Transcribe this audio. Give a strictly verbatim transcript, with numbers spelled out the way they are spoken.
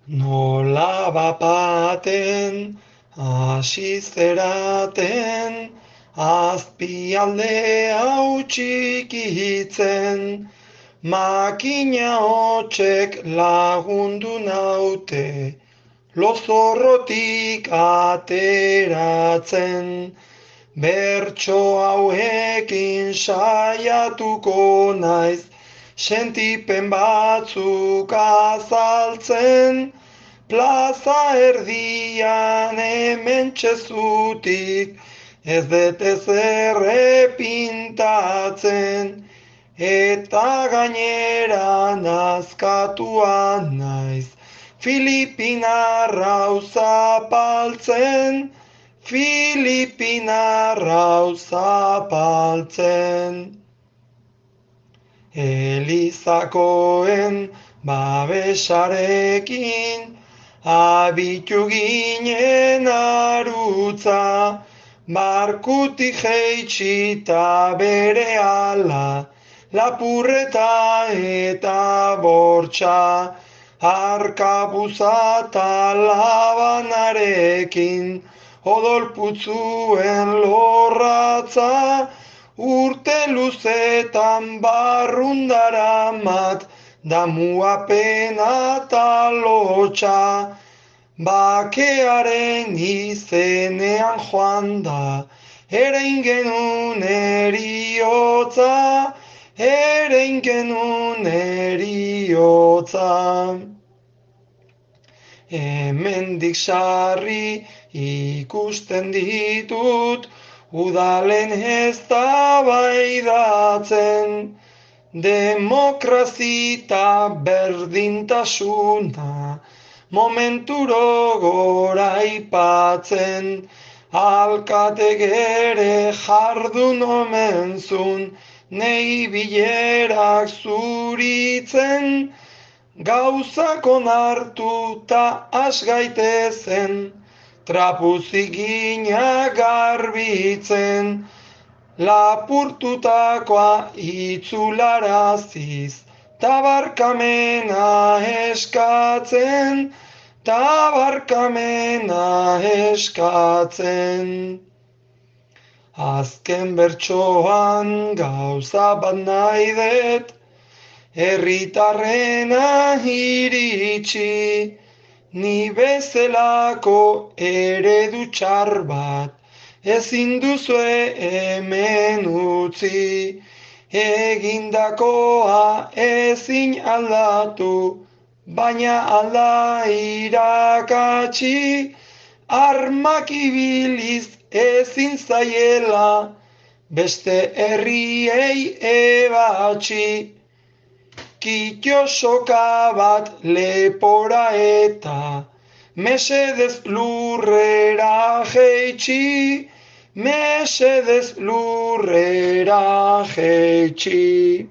Nola bapaten, hasi zeraten, azpialde hau txikitzen, makina hotsek lagundu naute, lozorrotik ateratzen, bertso hauekin saiatuko naiz, sentipen batzuk azaltzen, plaza erdian hemen txezutik, ez dut ezer epintatzen, eta gainera nazkatua naiz, Filipinarra zapaltzen, Filipinarra zapaltzen. Elizakoen babesarekin, abitu ginen arutza, barkutik jeitsita bere ala, lapurreta eta bortxa, arkabuza eta labanarekin, odolputzuen lorratza, urte luzetan barrundara mat, damua pena eta lotxa, bakearen izenean joan da, erein genuen eriotza, erein genuen eriotza. Hemendik sarri ikusten ditut, udalen eztabaidatzen, demokrazita berdintasuna, momenturo goraipatzen, alkatek ere jardun omenzun, nei bilerak zuritzen, gauzak onartuta asgaitezen, trapuzigina garbitzen, lapurtutakoa itzularaziz, tabarkamena eskatzen, tabarkamena eskatzen. Azken bertsoan gauza bat nahi dut, herritarrena iritsi, ni bezalako eredu txar bat, ezin duzue hemen utzi, egindakoa ezin aldatu, baina alda irakatsi, armak ibiliz ezin zaiela, beste herriei ebatsi, kitio soka bat lepora eta, mesedez lurrera jeitsi, mesedez lurrera jeitsi.